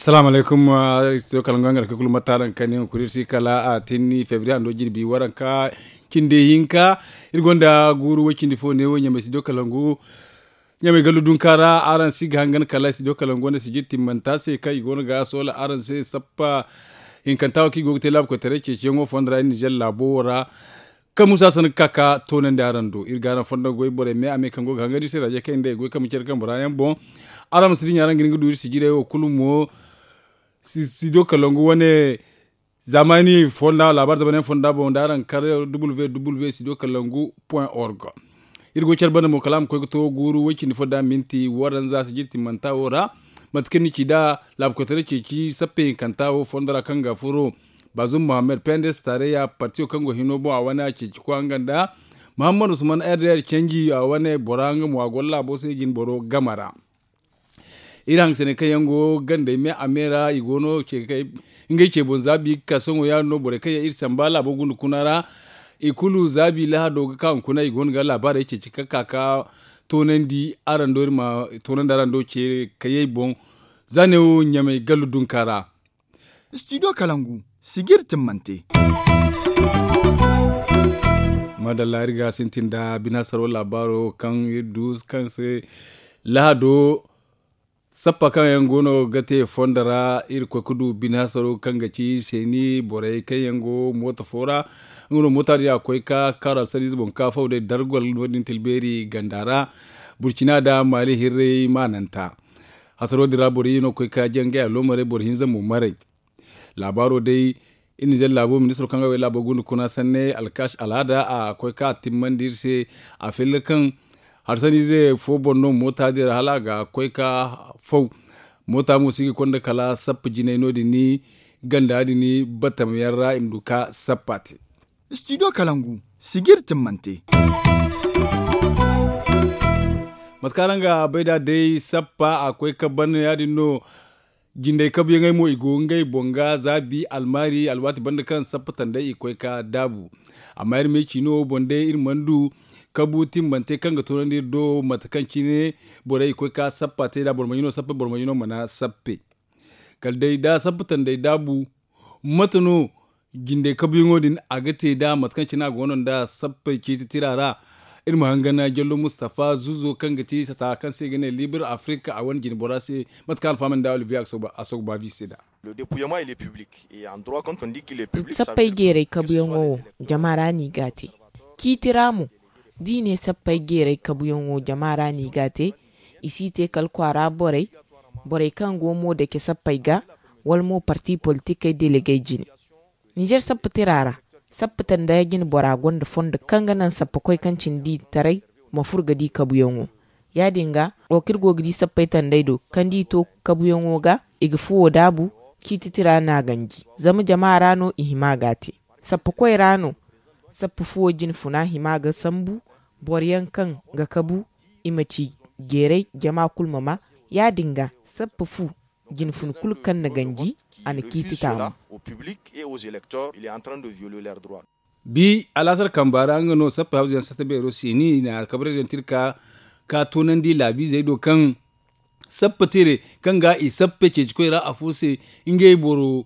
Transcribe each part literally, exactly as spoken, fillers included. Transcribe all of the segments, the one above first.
Salaamu alaykum. Studio kalangu hangar ka kulu mataran kani hunkuri iri si kala a tinni febriye hando jirbi waranka cindi hinka. Iri gonda guuru way cindi fo ne wo ɲamay studio kalangu ɲamay gallu dunka ra araŋ si ga hangan kala studio kalangu wanda sijir timmanta se kaŋ i go no ga soola araŋ se sappa hinkanta wo kaŋ i go ga te laabu koytaray ceeciyaŋo fondo ra iri nizer laabo wo ra. Kaŋ musa sanda ga ka ka toonandi araŋ do iri ga araŋ fondo goy borey me a me kaŋ go ga hangan iri se raje kaŋ i nda i goy kaŋ ma care kaŋ bora yaŋ boŋ. Araŋ ma si dinya araŋ ga hin ga du iri sijirey wo kulu mo. Studio kalangu wane zaamani fonda laabaari zamanyaŋ fonda boŋ da araŋ kar www studio kalangu point org. Iri go care banda mo kala a ma koy ga to guuru way cindi fo da minti waranza sijir timmanta wo ra. Mate kaŋ ni ci da laabu koytaray ceeci sappe hinkanta wo fondo ra kaŋ ga furo bazum mohammed pendes tareya partiyo kaŋ go hino boŋ a wane a ceeci koy nga nda mohammed usman rdr canji a wane bora nga mo a go laabo se jine boro game ra. Iri hangasanay kaŋ yaŋ go gandey me a me ra i go no ngey ce boŋ zaabi ga ka sohõ ya- din no borey kaŋ yaŋ iri samba laabo gunda kuna ra. I kulu zaabi lahado ga ka hunkuna i go no ga laabaarey ceeci ka ka ka toonandi araŋ do iri ma toonandi araŋ do ce kayey boŋ. Za ne wo ɲamay gallu dunka ra. Studio kalangu sijir timmante. Madalla iri ga sintin nda binaasaro laabaaro kaŋ iri du kaŋ se lahado sappa kaŋ yaŋ go no ga te fondo ra. Iri koy ga du binaasaro kaŋ ga ci seeni borey kaŋ yaŋ go mooto fo ra. Nga no moota din a koy ga kaaru alsariize boŋ ga ka faw day dargol no- din tilbeeri ganda ra. Burcina nda maali hirray maananta hasaro din ra boro iyye no ga koy ga ka jangay aloomarey boro hinza mo maray. Laabaaro day iri nizer laabo ministiro kaŋ ga way laabo gunda kuna sanne alkash alhada a koy ga ka timmandi iri se. A filla kaŋ harsaniize fo boŋ no moota din ra hala a ga koy ga faw. Moota mo si ga konda kala sappa jinay no- din ni ganda din ni battam yaŋ ra i ma du ga sappa te. Studio kalangu sijir timmante. Mate kaŋ araŋ ga bay nd'a day sappa a koy ga ban ya- din no. Jindey kabuyaŋey mo i go ngey boŋ ga zaabi almaari alwaati banda kaŋ sappa tanday i koy ga daabu. Amma iri ma ay ci no boŋ day iri mana du kabu timmante kaŋ ga toonandi iri do mate kaŋ cine borey i koy ga sappa te nd'a boro ma ɲino sappe boro ma ɲino mana sappe. Kala day da sappa tanday daabu mate no jindey kabuyaŋo din a ga te nd'a mate kaŋ cine a go no nd'a sappey ciiti tira ra. Iri ma hangan jallo mustafa zuzo kaŋ ga ti sata kaŋ se i ga ne libre afrika a wane jine bora se. Mate kaŋ alfahamey nda olivier a sogo ba vi se nd'a. Sappey jeeray kabuyaŋo wo jama ra no i g'a te. Ciiti ra mo da i ne sappey jeeray kabuyaŋo jama ra no i g'a te. I si te kala kwaara borey borey kaŋ go mo dake sappey ga wala mo parti politikey delegey jine. Nizer sappa tira ra sappa tanda jine bora gonda fondo kaŋ ga naŋ sappa koy kaŋ cine di taray ma furo ga di kabuyaŋo. Ya- din ga wo kaŋ iri go ga di sappey tandey do kaŋ da i to kabuyaŋo ga i ga fuwo daabu. Ciiti tira no a ganji zama jama ra no i hima ga te. Sappa koy ra no sappa fuwo jine funa hima ga sambu boro yaŋ kaŋ ga kabu i ma ci jeeray jama kulu ma ma. Ya- din ga sappa fu jine funa kulu kaŋ na ganji a na ciiti taamu. Bi alaasar kamba ra nga no sappey hawza yaŋ satta beero se ni na alkabarey daŋ tirka ka toonandi laabiizey do kaŋ sappa tire kaŋ ga i sappe ceeci koy ra afo se ngey boro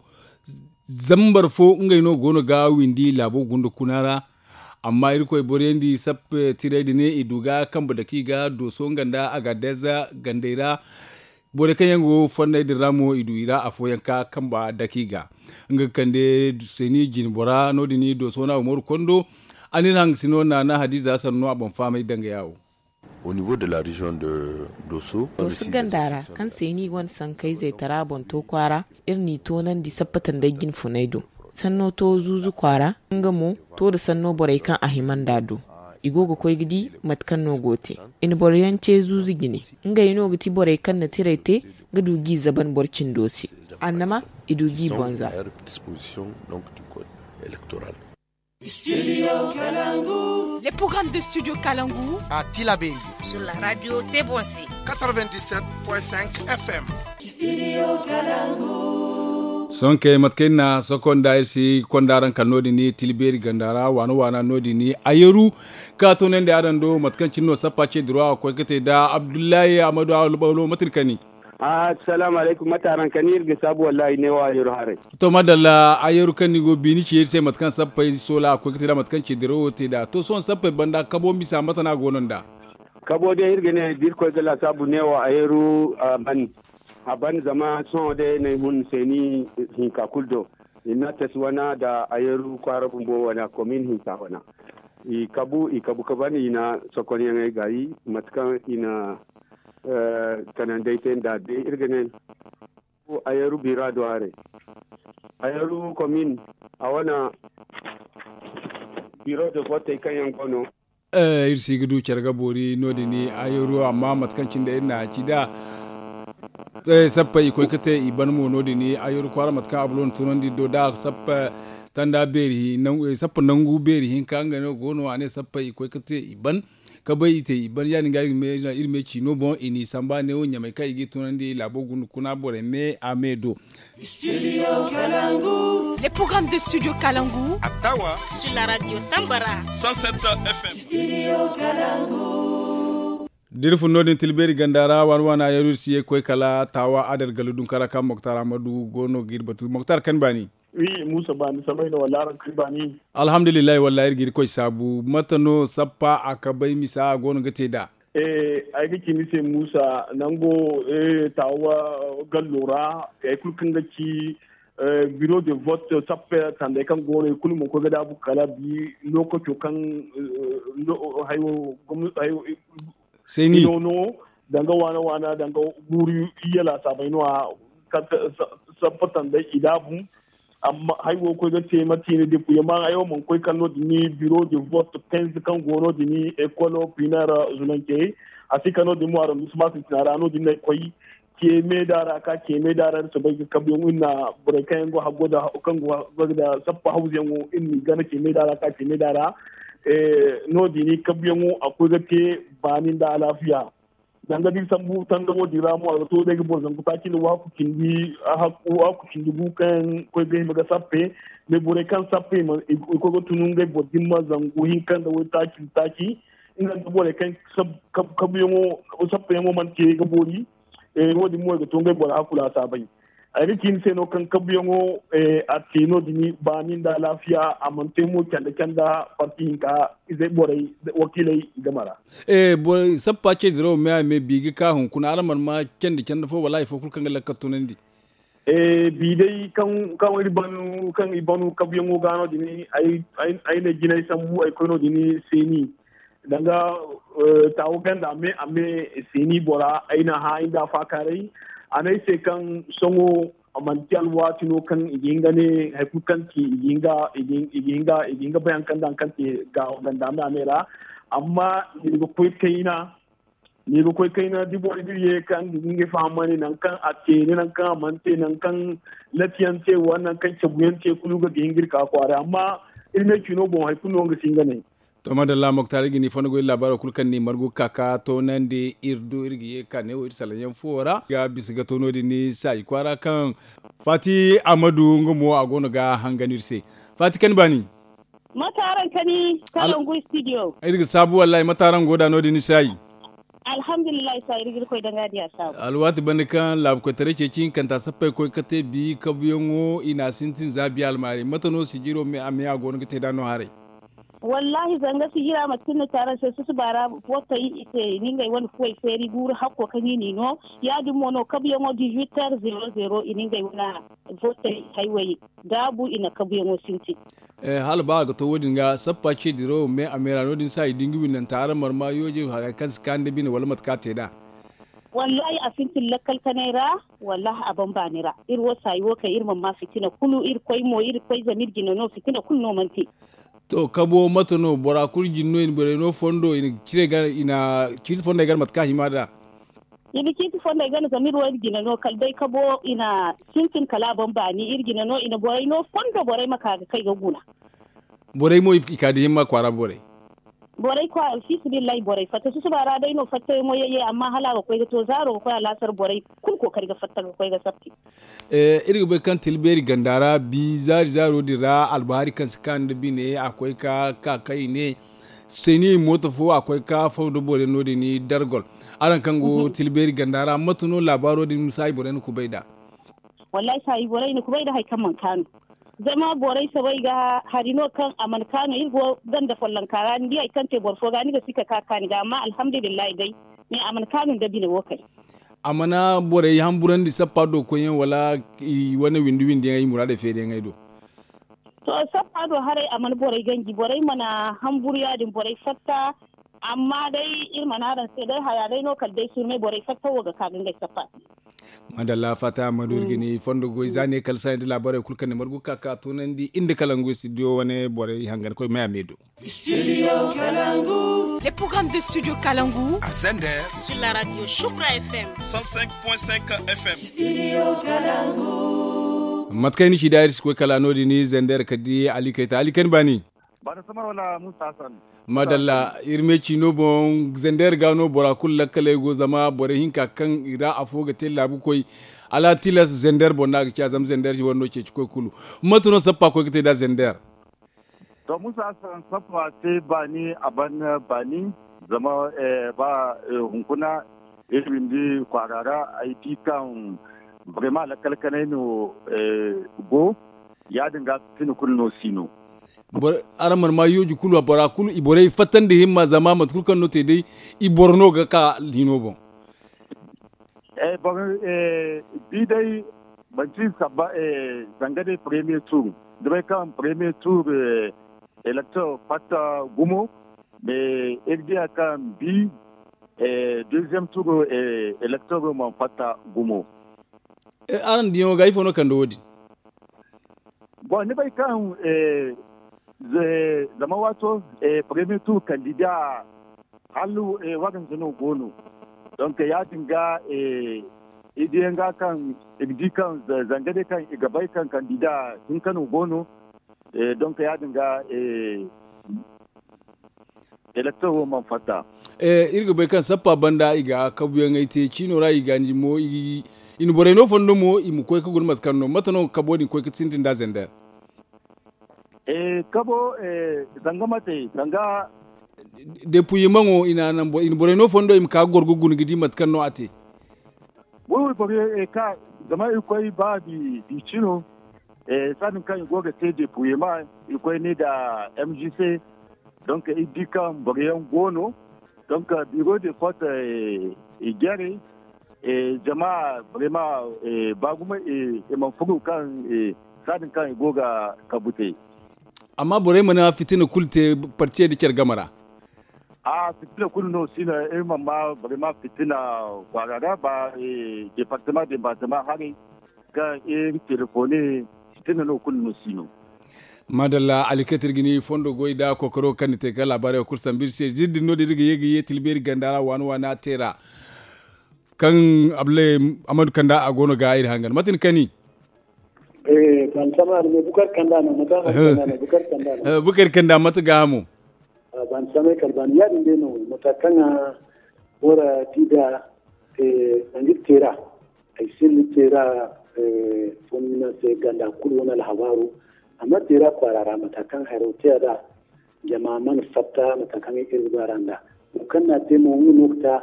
zambar fo ngey no go no ga windi laabo gunda kuna ra. Amma irkoy boro yaŋ di sappe tirey din i du ga kambe dake i ga dooso nga nda a ga deeza gandey ra. Borey kaŋ yaŋ go fonney din ra mo i du i ra afooyaŋ ka kamba dake i ga nga ga kande seeni jine bora no- din dooso no a go mooru kondo. A na iri hangasino naana hadiiza sannu a boŋ fahamay dangaya wo. Au niveau de la région de doso. Doso ganda ra kaŋ se ni wane sankayzey tara boŋ to kwaara iri n'i toonandi sappa tanday jine funay do. Sanno to zuuzu kwaara nga mo to nda sanno borey kaŋ a hima nd'a do. I go ga koy ga di mate kaŋ no go te. I na boro yaŋ ce zuuzu jine. Ngey no ga ti borey kaŋ na tiray te ga du g'i zaban boro cindo se. Annama i du g'i bonza. Les programmes de Studio Kalangu à Tilaberi sur la radio Tebonse quatre-vingt-dix-sept point cinq F M. Sohõ kay mate kaŋ iri na sohõ konda iri si konda araŋ kala no- din tilbeeri ganda ra waana waana no- din a yeru ka toonandi araŋ do mate kaŋ cine no sappa ce duro a ga koy ga te nda abdullahi amadu alubalo mate ni kani. Assalaamu alaykum, mate araŋ kani? Iri ga saabu, wallahi, neewo a yeru haray. To, madalla, a yeru kaŋ ni go ga bi ni ci iri se, mate kaŋ sappey soola a koy ga te nd'a, mate kaŋ ci dirawo te nd'a. To, sohõ sappey banda, kabo misa, mate no a go no nd'a? Kabo day, iri ga ne, da Irkoy ga laasaabu, neewo a yeru a ban. A ban, zama sohõ day, n'ay hun seeni hinka kulu do. I na tas wana nda a yeru kwaara bumbo wana, komin hinka wana. I kabu, i kabu ka ban, i na sokonyaŋey gaayi, mate kaŋ i na kanandey te nd'a day, iri ga ne, a yeru bira do haray. A yeru komin, a wana biro de votey kaŋ yaŋ go no. Iri si ga du care ga boori no- din a yeru, amma mate kaŋ cine iri na a ci nd'a. Sappey i koy ga te i ban mo no- din a yeru kwaara, mate kaŋ a bulo na tunandi do da sappey tanda beeri, sappey nangu beeri hinka ngey no go no, a ne sappey i koy ga te i ban. Ka bay i te i ban, ya- din ga iri me ci no boŋ i n'i samba neewo ɲamay kaŋ i g'i tunandi laabo guna kuna borey me a me do. Studio Kalangu. Les programmes de Studio Kalangu. Attawa. Sur la radio Tambara. Cent sept F M. Studio Kalangu. D'iri fun no- din Tilbeeri ganda ra, waana waana yaru iri si ye ga koy kala Taawa, Adar Gallu Dunkara kaŋ Moktar Amadu go no ga iri batu. Moktar, kan baani? Wi, Muusa, baani samay no, wala araŋ kan baani? Alhamdulillahi, wallahi iri ga iri koy saabu. Mate no sappa a kabay misa a go no ga te nd'a? Ay ga ci ni se, Muusa, nango Taawa gallo ra, hay kulu kaŋ ga ci biro de vote, sappe tandey kaŋ go no, i kulu mana koy ga daabu kala bi lookaco kaŋ hayo. Seeni no, danga waana waana, danga guuru iyye laasaabey no a sappe tandey i daabu. Amma hay wo koy ga te mate i na depuye ma ay wo mana koy kala no- din biro de vote quinze kaŋ go no- din, ekolo pinar zunante. A si kala no- din mo arrondissement sintina ra no- din no ay koy. Ceemeda ra ka ceemeda ra iri soobay ga kabuyaŋo iri na borey kaŋ yaŋ go haggo da kaŋ go haggo da sappa hawzuyaŋo iri n'i gana ceemeda ra ka ceemeda ra. No- din kabuyaŋo a koy ga te baani nda alaafiya. Danga da iri sambu tandamo din ra mo a ga to day ga boro zangu taaci nda waaku cindi gu kaŋ yaŋ koy ga hima ga sappe. Mais borey kaŋ sappe i koy ga tun ngey boro din ma zangu hinka nda waytaaci nda taaci. Nga nda borey kaŋ kabuyaŋo sappeyaŋo mana te ga boori. Wo- din mo i ga to ngey boro hakku laasaabey. Ay ga ci ni se no kaŋ kabuyaŋo a te no- din baani nda alaafiya a mana te mo canda canda parti hinka izey borey wakiiley game ra. Sappa ce dirawo me a me bi ga ka hunkuna araŋ mana ma candi canda fo wala hari fo kulu kaŋ ga lakkal tunandi? Bi day kaŋ iri banu kaŋ i banu kabuyaŋo ga no- din ay na jinay sambu ay koy no- din seeni. Danga taawo ganda a me a me seeni bora ay na hã ay nda a faakaaray. A ne ay se kaŋ sohõ manti alwaati no kaŋ i ga hin ga ne hari kulu kaŋ ci i ga hin ga i ga hin ga i ga hin ga bay hari kaŋ da hari kaŋ te ganda a me a me ra. Amma ni ga koy kayna ni ga koy kayna da borey da iri ye kaŋ ga hin ga ngey fahamandi nangu kaŋ a te ne nangu kaŋ a mana te nangu kaŋ latiyaŋ te wala nangu kaŋ cabuyaŋ te kulu ga ga hin ga iri ka kwaara amma iri me cino boŋ hari kulu no nga si hin ga ne. To madalla moktar iri ga ni fondo goy laabaaro kulu kaŋ ni margu ga ka ka toonandi iri du iri ga ye ga ka neewo iri salaŋ yaŋ fuwo ra ga bisa ga to no- din ni saayi kwaara kaŋ faati amadu nga mo a go no ga hangan iri se. Faati kaŋ ni baani. Mate araŋ kani kalangu studio? Iri ga saabu wallahi mate araŋ go da no- din ni saayi? Alhamdulillahi saayi iri ga iri koy daŋ ga diya saabu. Alwaati banda kaŋ laabu koytaray ceeci hinkanta sappey koy ga te bi kabuyaŋo i na a sintin za biya almaari mate no sijiro me a me a go no ga te da no haray? Wallahi zanga sijira mate kaŋ ni te araŋ se susuba ra footey i te i na ngey wane fuwey feeri guuru hakko kaŋ i n'i no. Ya- din mo no kabuyaŋo dix huit heures zero zero i na ngey wane footey haywey daabu i na kabuyaŋo sintin. Hala ba a ga to wo- din ga sappa ce dirawo me a me ra no- din se a i da nga winnanta araŋ marma yooje haray kaŋ si kaani nda bine wala mate kaŋ a te nd'a? Wallahi a sintin lakkal kanay ra. Wallahi a ban baani ra iri wo saayi wo kay iri mana ma fitina kulu iri koy mo iri koy zama iri jina no fitina kulu no mana te. To kabo mate no bora kulu jina no i na borey no fondo i na ciiti fondey gana mate kaŋ a hima nd'a? I na ciiti fondey gana zama iri wo iri jina no kala day kabo i na sintin kala a ban baani iri jina no i na borey no fondo borey ma ka ga kay ga guna. Borey mo i ka da himma kwaara borey. Borey kwaara fi sabilillahi borey fatta susuba ra day no fattayaŋo yayye amma hala a ga koy ga to zaaro ga koy a laasar borey kulu kookari ga fatta ga koy ga sappi. Iri ga bay kaŋ tilbeeri ganda ra bi zaari zaaro din ra albahaari kaŋ si kaanu nda bine a koy ka ka kaŋ i ne Seni mooto fo a koy ga ka faw nda borey no- din dargol. Araŋ kaŋ go tilbeeri ganda ra mate no laabaaro din misaayi borey na kubay nd'a? Wallahi saayi borey na kubay nda hari kaŋ mana kaanu. Zama borey soobay ga hari no kaŋ a mana kaanu iri go ganda follonka ra ni di hari kaŋ te boro fo ga ni ga si ka ka kaani ga amma alhamdulillahi day. Mais a mana kaanu nda bine wo kay. A mana borey hamburandi sappa do koyyaŋ wala i wane windi windi yaŋ ay muraadey feeri yaŋ ay do? To sappa do haray a mana borey ganji borey mana hamburu ya- din borey fatta. Amma day iri mana araŋ se day haya day no kala day surmay borey fatta wo ga ka ga ngey sappa. Madalla faata ammadu iri ga ni fondo goy za ne kala saaya nda laabaarey kulu kaŋ ni margu ga ka ga toonandi iri nda kalangu studio wane borey hangan koy maya me do. Studio kalangu. Le programme de studio kalangu a zander sur la radio shukra fm. Cent cinq point cinq fm. Studio kalangu. Mate kaŋ ay na ci da iri si koy kala no- din zander kala di ali kayta ali kaŋ ni baani. Ba da samar wala musa hassan. Madalla iri me ciino boŋ zander ga no bora kulu lakkaley go zama borey hinka kaŋ i ra afo ga te laabu koy. Ala tilas zander boŋ no a ga ciya zama zander wara no ceeci koy kulu. Mate no sappa koy ga te nd'a zander? To musa hassan sappa te baani a ban baani. Zama ba hunkuna iri windi kwaara ra ay di kaŋ brema lakkal kanay no go. Ya- din ga fitina kulu no si no. Araŋ mana ma yooji kulu bora kulu i borey fattandi himma zama mate kulu kaŋ no te day i boro no ga ka hino boŋ. Boro bi day manti sabba zanga day premier tour da bay kaŋ premier tour elector fatta gumo. Iri diya kaŋ bi deuxième tour elector man fatta gumo. Araŋ diyaŋo ga ifo no kande wo- din? Bon ni bay kaŋ zama waato premier tour kandida hala waranza no go no. Donc ya- din ga i diyaŋ ga kaŋ i ga di kaŋ zanga day kaŋ i ga bay kaŋ kandida hinka no go no. Donc ya- din ga elector wo mana fatta. Iri ga bay kaŋ sappa banda i ga kabuyaŋey te ciino ra i ga ni mo i na borey no fondo mo i ma koy ga guna mate kaŋ no mate no kabo din koy ga sintin nd'a zander? Kabo zanga mate zanga. Depuyimaŋo i na naŋ i na borey no fondo i ma ka ga goro ga guna ga di mate kaŋ no a te. Wi wi borey ka zama i koy ba di cino. Saadin kaŋ i go ga te depuyema i koy ne nda mgc. Donc iri di kaŋ boro yaŋ go no. Donc biro de fot i jare jama boro ma ba gumo i mana furo kaŋ saadin kaŋ i go ga kabu te. Amma borey mana fitina kulu te partiyey nda care game ra. A fitina kulu no si no iri mana ma borey ma fitina kwaara ra ba departement departement haray kaŋ iri telefone fitina no kulu no si no. Madalla alikatir ga ni fondo goy da kookaro kaŋ ni te ga laabaarey wo kulu sambu iri se ziri din no din iri ga ye ga ye tilbeeri ganda ra waana waana te ra. Kaŋ abdullahi amadu kanda a go no ga iri hangan mate ni kani? Bukari kanda mate gaahamo? Ban samay kala ban ya- din day no mata kaŋ a bora di da nangir tera ay sinni tera. Fonnina se ganda kulu wane alhabaaro amma tera kwaara ra mata kaŋ haro te a da jama mana fatta mata kaŋ iri ga ba ra nda wo kaŋ no a te mo nga no ga ta.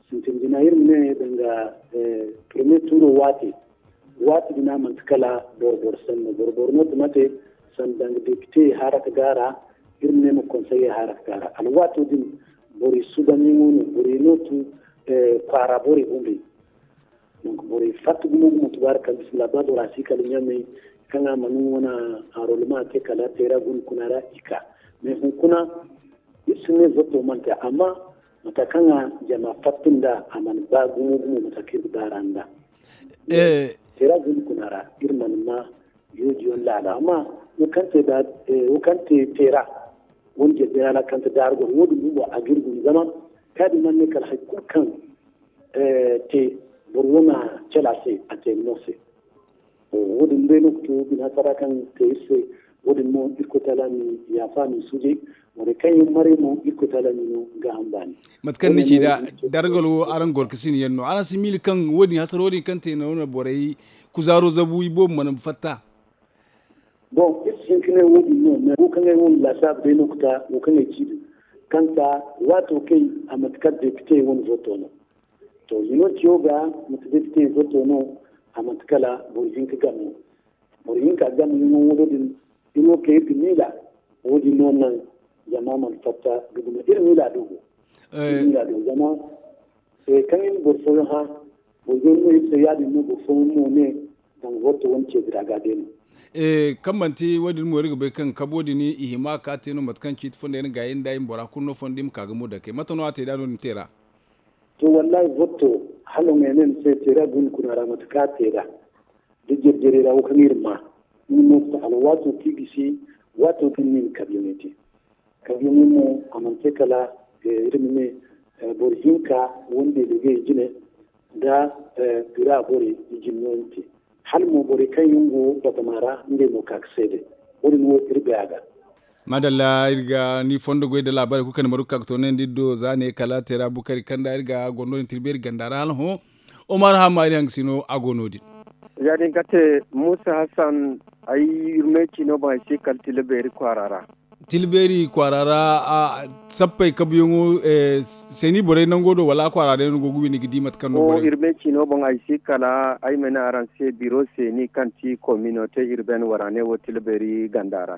Sintin jina iri ma ne danga premier turo waati waati bina manti kala boro boro sanno boro boro no ti mate sanda danga depite haraka ga ra. Iri ma ne ma konseye haraka ga ra alwaato din borey sudanyaŋo no borey no tu kwaara borey bumbey. Donc borey fatta gumo gumo tubaari kaŋ bismillah ba bora si kala ɲamey kaŋ a mana wane enrollement te kala teera guna kuna ra i ka mais hunkuna iri si ne zato mana te amma mata kaŋ a jama fatta nda a mana ba gumo gumo mata kaŋ iri ga ba ra nda teera guna kuna ra iri mana ma yooji yaŋ laala amma wo kaŋ te teera wani jirbi ra kaŋ te daari goro wo- din bumbo a ga iri guna zama kaadi mana ne kala hari kulu kaŋ te boro wane cala se a te no se. Wo- din day no ga to bina sara kaŋ te iri se wo- din mo irkoy taala ma i yaafa ma i suujay. Borey kaŋ yaŋ maray mo irkoy taala ma i no gaaham baani. Mate kaŋ ni ci da dargal wo araŋ goro ga sina yaŋ no araŋ si miila kaŋ wo- din hasaro din kaŋ te no na borey kuzaaro zabu i boobo mana fatta. Bon iri si hin ka ne wo- din no mais wo kaŋ ay wo ma laasaabu day no ga ta wo kaŋ ay ci din. Kaŋ ka waato kay a mate kala depite wane voto no. To hino ciyo ga mate depite voto no. A mate kala boro hinka game no. Boro hinka game hino wo- din iri wo kay iri ga miila. Wo- din no naŋ zama a mana fatta ga duma iri miila do go. Iri miila do zama kaŋ iri boro fooyaŋ hã boro yaŋ no iri se ya- din no boro fooyaŋ mo ne. Zama voto wane ceedi ra ga day no. Kaŋ manti wo- din mo iri ga bay kaŋ kabo din i hima ka te no mate kaŋ ciiti fondo yaŋ ga yaŋ da i ma bora kulu no fondo i ma ka ga mo dakey mate no a te da no- din te ra. To wallahi voto hala ŋwa ne ni se te da guna kuna ra mate kaŋ a te da da jere jere ra wo kaŋ iri ma ni no ga ta hala waato kaŋ i gisi waato kaŋ ni na kabiyaŋey te. Kabiyaŋey mo a mana te kala iri ma ne boro hinka wande da ga i jine da bira borey i jine no ni te. Hala mo borey kaŋ yaŋ go batama ra ngey mo ka ga seede. Wo- din wo iri bay a ga. Madalla iri ga ni fondo goy da laabaarey kulu kaŋ ni margu ka ga toonandi iri do za ne kala teera bukari kanda iri ga goro no- din tilbeeri ganda ra hala hõ. Omar hamma iri hangasino a go no- din. Ya- din ga te muusa hassan. Ay iri me ciino boŋ ay si kala tilbeeri kwaara ra. Tilbeeri kwaara ra sappey kabuyaŋo seeni borey nango do wala a kwaara day no go ga windi ga di mate kaŋ no borey. Iri me ciino boŋ ay si kala ay ma ne araŋ se biro seeni kaŋ ti komino te iri been waraane wo tilbeeri ganda ra.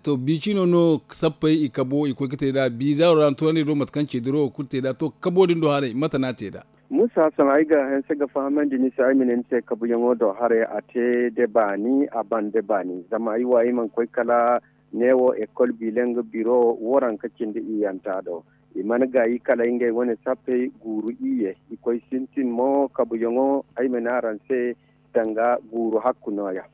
To bi ciino no sappey i kabo i koy ga te nd'a bi zaaro ra ni tunandi do mate kaŋ ce dirawo kulu te nd'a to kabo din do haray mate no a te nd'a? Muusa sohõ ay ga hanse ga fahamandi ni se ay ma ne ni se kabuyaŋo do haray a te da baani a ban da baani zama ay wo ay mana koy kala neewo ekol biilaŋ biro waranka cindi iyyanta do. I mana gaayi kala ngey wane sappey guuru iyye i koy sintin mo kabuyaŋo ay ma ne araŋ se danga guuru hakku nooya.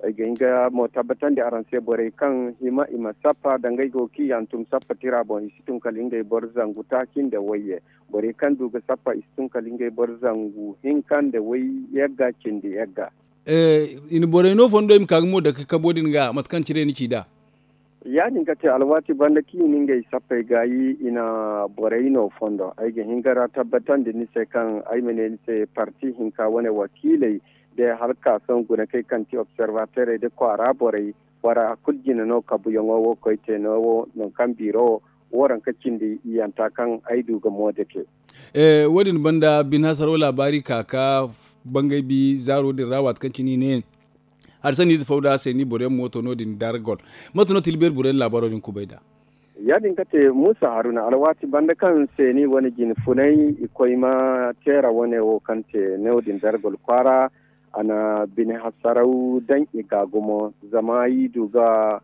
Ay ga hin ga mo tabbatandi araŋ se borey kaŋ hima i ma sappa danga ay go ga i hantum sappa tira boŋ i si tun kala ngey boro zangu taaci nda wayye. Borey kaŋ du ga sappa i si tun kala ngey boro zangu hinka nda way yagga cindi yagga. I na borey no fondo i ma ka ga mo dake kabo din ga mate kaŋ cire ni ci nd'a. Ya- din ga te alwaati banda kaŋ i na ngey sappey gaayi i na borey no fondo ay ga hin ga ra tabbatandi ni se kaŋ ay ma ne ni se parti hinka wane wakiiley day hala ka sohõ guna kaŋ ay kaŋ ti observateurey nda kwaara borey bora kulu jine no kabuyaŋo wo koy te no wo nangu kaŋ biiro waranka cindi iyyanta kaŋ ay du ga mo dake. Wo- din banda bine hasaro laabaari ka ka bangay bi zaaro din ra waati kaŋ cine i ne hari sanniize fo da seeni boro yaŋ mooto no- din dargol. Mate no tilbeeri boro yaŋ laabaaro din kubay nd'a? Ya- din ga te muusa haruna alwaati banda kaŋ seeni wane jine funay i koy ma teera wane wo kaŋ te no- din dargol kwaara a na bine hasaraw daŋ i ga gumo zama i du ga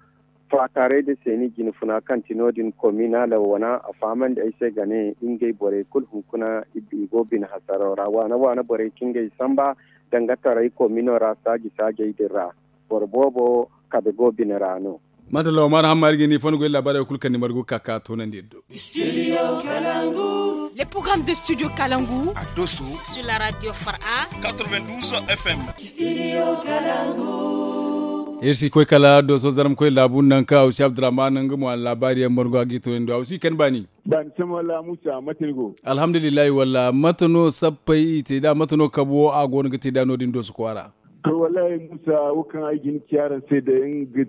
faakaaray nda seeni jine funa kaŋ ti no- din kominala wana a fahamandi ay se ga ne ngey borey kulu hunkuna i go bine hasaraw ra waana waana borey kaŋ ngey samba danga taray komino ra saaji saajey din ra boro boobo kabe go bine ra no. Madalla omar hamma iri ga ni fondo goy laabaarey kulu kaŋ ni margu ga ka ka toonandi iri do. Studio kalangu. Le programme de studio kalangu a doso sur la radio fara quatre-vingt-douze f m. Studio kalangu. Iri si koy kala doso zarma koy laabu nangu kaŋ awsi abdurrahman nga mo a na laabaari yaŋ margu a ga i toonandi awsi kani baani. Baani sama wala musa mate ni go? Alhamdulillahi walla mate no sappey i te nd'a mate no kabo a go no ga te nd'a no- din doso kwaara? To wallahi muusa wo kaŋ ay ga hin ci araŋ se day nga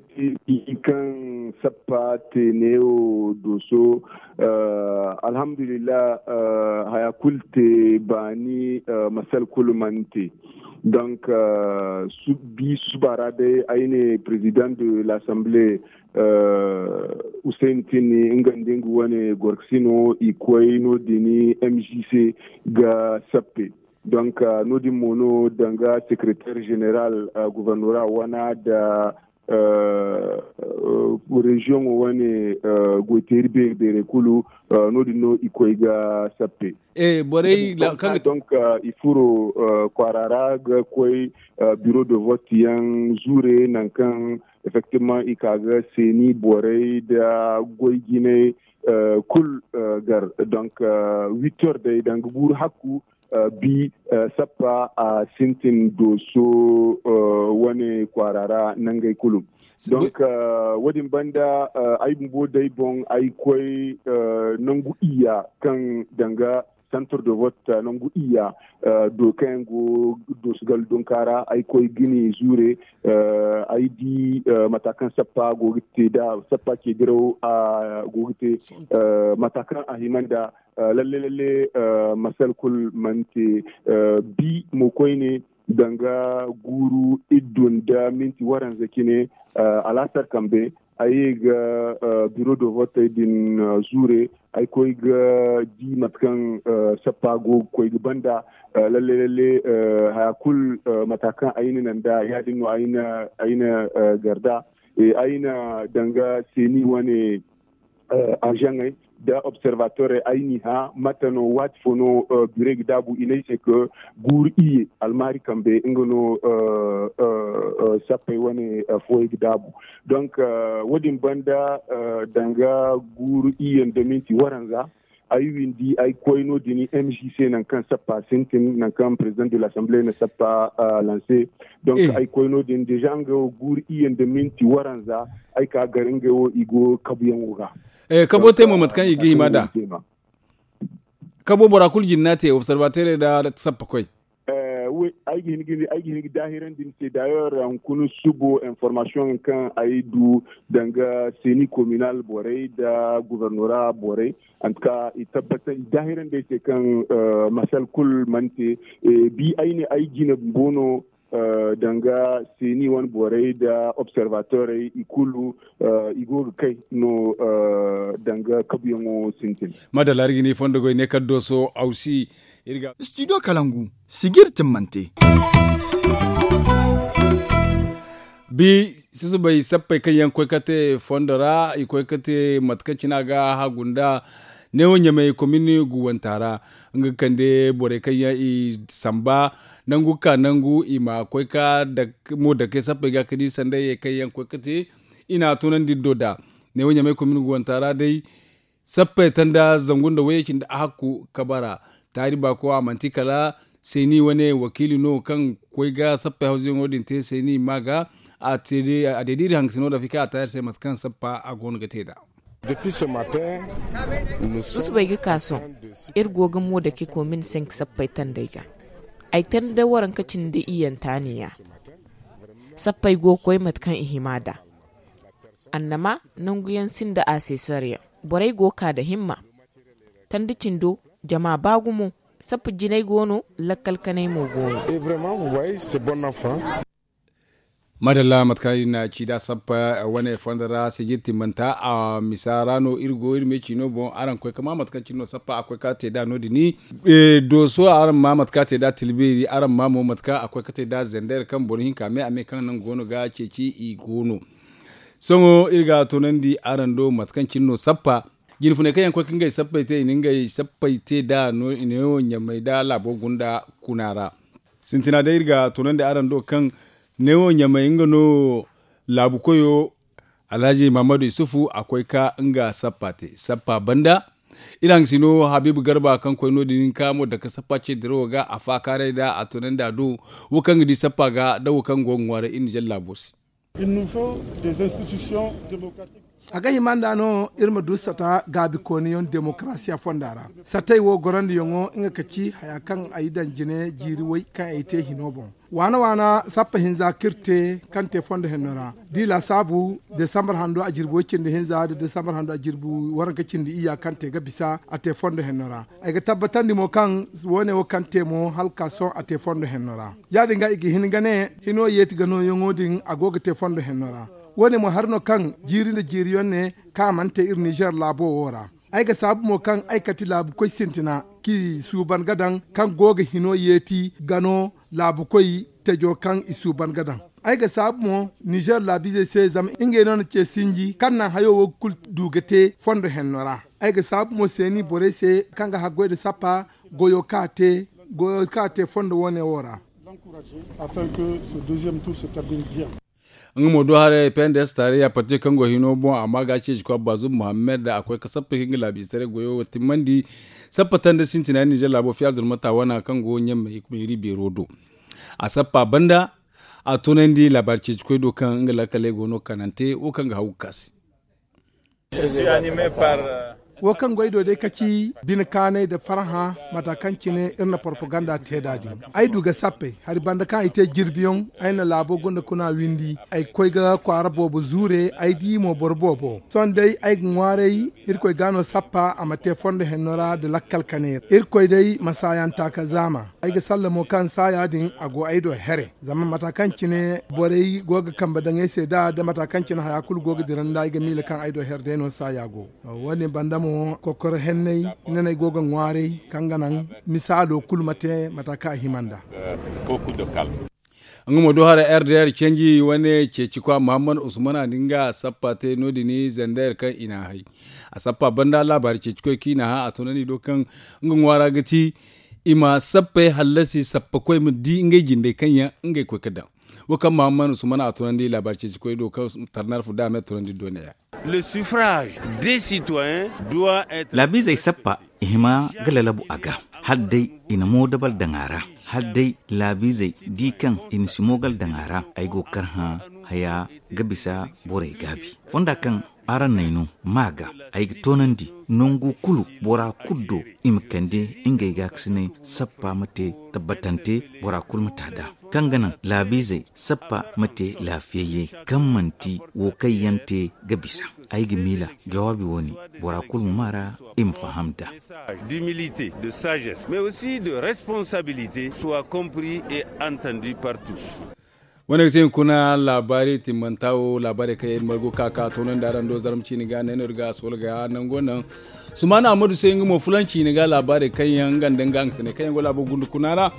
ti kaŋ sappa te neewo dooso. Alhamdulillah. Haya kulu te baani masal kulu mana te. Donc bi suba ra day ay ne président de l'assemblée, hussein tini nga nda nga wane gorkasino i koy no- din mjc ga sappe. Donc no- din mo no danga secrétaire général gouvernorat wana da région wane goyteeri beeri beerey kulu no- din no i koy ga sappe. Borey kaŋ ga donc i furo kwaara ra ga koy bureau de vote yaŋ zure nangu kaŋ effectivement i ka ga seeni borey da goy jinay kulu gar. Donc huit heures day danga guuru hakku bi sappa a sintin dooso wane kwaara ra nangey kulu. Donc wo- din banda ay bumbo day boŋ ay koy nangu iyya kaŋ danga centre de vote nangu iyya do kaŋ yaŋ go doosu gallo dunka ra ay koy ga ni zuure. Ay di mata kaŋ sappa go ga te da sappa ce diraw a go ga te mata kaŋ a hima nda lalle lalle masal kulu mana te. Bi mo koyne danga guuru iddu nda minti waranza cine alaasar kambe ay ye ga biro do votey din zuure. Ay koy ga di mate kaŋ sappa go ga koy ga banda lalle lalle haya kulu mata kaŋ ay na naŋ da ya- din no ay na garda. Ay na danga seeni wane azaŋey nda observatorey ay n'i hã mate no waati fo no birey ga daabu i ne ay se ka guuru iyye almaari kambe nga no sappey wane fuwey ga daabu. Donc wo- din banda danga guuru iyye nda minti waranza ay windi ay koy no- din m g c nangu kaŋ sappa sintin nangu kaŋ président de l'assemblée na sappa lanse. Donc ay koy no- din déjà nga wo guuru iyye nda minti waranza ay ka gar ngey wo i go kabuyaŋo ga. Kabo te mo mate kaŋ i ga hima nd'a. Kabo bora kulu jinna te observateur nda sappa koy. Ay ga hin ga daahirandi ni se d'ailleurs hunkuna subo information kaŋ ay du danga seeni communal borey nda gouvernorat borey. En tout cas i tabbatar i daahirandi ay se kaŋ masal kulu mana te. Bi ay ne ay jine bumbo no danga seeni wane borey nda observatorey i kulu i go ga kay no danga kabuyaŋo sintin. Madalla iri ga ne fondo goy ne kala dooso awsi. Iri ga studio kalangu sijiri timmante. Bi susubay sappey kaŋ yaŋ koy ka te fondo ra i koy ka te mate kaŋ cine a ga hagu nda neewo ɲamey komini guwanta ra. Nga ga kande borey kaŋ yaŋ i samba nangu ga ka nangu i ma koy ka mo dake sappey ga ka di sandayey kaŋ yaŋ koy ka te i n'a tunandi iri do da neewo ɲamey komini guwanta ra day. Sappey tanda zangu nda wayye cindi a hakku kabara taari baako a manti kala seeni wane wakiili no kaŋ koy ga sappey hawzuyaŋo din te seeni ma ga a deedi iri hangasino da fika a taari se mate kaŋ sappa a go no ga te nd'a. Susubay ga ka sohõ iri go ga mo dake komin senk sappey tandey ga. Ay tanda waranka cindi iyyanta ne- ya sappey go ga koy mate kaŋ i hima nd'a. Annama nangu yaŋ sinda a se sariyaŋ borey go ga ka nda himma. Tanda cindo jama ba gumo. Sappa jinay go no lakkal kanay mo go no. Madalla mate kaŋ iri na ci nd'a sappa wane fondo ra sijiri timmanta a misa ra no iri go iri ma ay ci no boŋ araŋ koy ga ma mate kaŋ cine no sappa a koy ga te nd'a no- din. Dooso araŋ ma mate kaŋ a te nd'a tilbeeri araŋ ma mo mate kaŋ a koy ga te nd'a zender kaŋ boro hinka me a me kaŋ nangu go no ga ceeci i go no. Sohõ iri ga a toonandi araŋ do mate kaŋ cine no sappa jine funay kaŋ yaŋ koy ga ngey sappey te i na ngey sappey te nd'a no i ne wo ɲamey nda laabo gunda kuna ra. Sintina day iri ga a toonandi araŋ do kaŋ ne wo ɲamey nga no laabu koyo alhaji mahamadu yusufu a koy ka nga sappa te sappa banda. Iri hangasino habiibu garba kaŋ koy no- din ka mo dake sappa ce dirawo ga a faakaaray nd'a a toonandi a do wo kaŋ ga di sappa ga nda wo kaŋ go ga ŋwaaray iri nizer laabo se. A ga hima nd'a no iri ma du sata gaabikooniyaŋ demokarasiya fonda ra. Satey wo gorandiyaŋo nga ka ci haya kaŋ ay daŋ jine jiiri way kaŋ ay te hino boŋ. Waana waana sappa hinza kaŋ iri te kaŋ te fondo henno ra da i laasaabu desambar hando a jirbi way cindi hinza nda desambar hando a jirbi waranka cindi iyya kaŋ te ga bisa a te fondo henno ra. Ay ga tabbatandi mo kaŋ woone wo kaŋ te mo hala ka sohõ a te fondo henno ra. Ya- din ga i ga hin ga ne hino yeeti ga nooyaŋo din a go ga te fondo henno ra. Woone mo hari no kaŋ jiiri nda jiiriyaŋ ne kaŋ a mana te iri nizer laabo wo ra. Ay ga saabu mo kaŋ ay kati laabukoy sintina kaŋ i suuban ga daŋ kaŋ go ga hino yeeti ga no laabukoy tejo kaŋ i suuban ga daŋ. Ay ga saabu mo nizer laabiizey se zama ngey no na ce sinji kaŋ naŋ hayo wo kulu du ga te fondo henno ra. Ay ga saabu mo seeni borey se kaŋ ga haggoy nda sappa goyo kaŋ a te fondo woone wo ra. Nga mo do haray pnds taariya parti kaŋ go hino boŋ amma ga ceeci kwa baazum muhammad a koy ga sappa ka nga laabiize taray goyo wo timmandi. Sappa tanda sintina nizer laabo fiya zurmata wana kaŋ go ɲamma hikma hiri beero do. A sappa banda a tunandi laabaari ceeci koy do kaŋ nga lakkaley go no kanante wo kaŋ ga haw ga ka se. Wo kaŋ goy do day ka ci bine kaanay nda farhã. Mata kaŋ cine iri na propaganda te nd'a din, ay du ga sappey hari banda kaŋ ay te jirbiyaŋ. Ay na laabo gunda kuna windi ay ga koy ga kwaara boobo zuure ay di mo boro boobo sohõ day ay ga ŋwaaray. Irkoy ga no sappa a ma te fondo henno ra nda lakkal kaneera irkoy day ma saayanta ka zaama. Ay ga sallamo kaŋ saaya din a go ay do here zama mata kaŋ cine borey go ga kambe daŋ ay se nd'a nda mata kaŋ cine haya kulu go ga dira nda ay ga miila kaŋ ay do here day no saaya go. Wo- din banda mo kokoro henney hinaney go ga ŋwaaray kaŋ ga naŋ misaalo kulu ma te mata kaŋ a hima nd'a. Nga mo do hara r d r canji wane ceeci kwa muhammad usman a na nga sappa te no- din zandayar kaŋ i na a hay. A sappa banda laabaari ceeci koy kaŋ i na a hã a toonandi do kaŋ nga ŋwaara ga ti i ma sappey hallasi sappa koy ma di ngey jindey kaŋ yaŋ ngey koy ga daŋ. Wo kaŋ muhammad usman a toonandi laabaari ceeci koy do kaŋ tarnarfu da a me toonandi do ne- ya. Le suffrage des citoyens doit être laabiizey sappa i hima ga lalabu a ga. Hala day i na moodabal daŋ a ra hala day laabiizey di kaŋ i na si moogal daŋ a ra. Ay go ga karhã haya ga bisa borey gaabi fonda kaŋ araŋ n'ay no ma ga ay ga toonandi nangu kulu bora kulu do i ma kande ngey gaakasinay sappa ma te tabbatante bora kulu ma te a da kaŋ ga naŋ laabiizey sappa ma te laafiyayyey kaŋ manti wo kaŋ yaŋ te ga bisa. Ay ga miila jawaabi wo- ne bora kulu ma ma ra i ma faham nd'a. D'humilité, de sagesse mais aussi de responsabilité soit compris et entendu par tous. Wane ga te hunkuna laabaari timmanta wo laabaarey kaŋ yaŋ iri margu ka ka toonandi araŋ do zarma ciini ga ne no iri ga a sola ga nango naŋ. Sumaana ahmadu se nga mo fulanci ne ga laabaarey kaŋ yaŋ nga nda nga nga sane kaŋ yaŋ go laabo gundu kuna ra.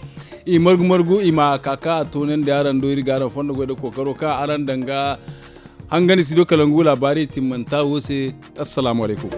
I margu margu i ma ka ka toonandi araŋ do iri ga araŋ fondo goy da kookaro kaŋ araŋ daŋ ga hangandi si do kala ngu laabaari timmanta wo se. Assalaamu alaykum.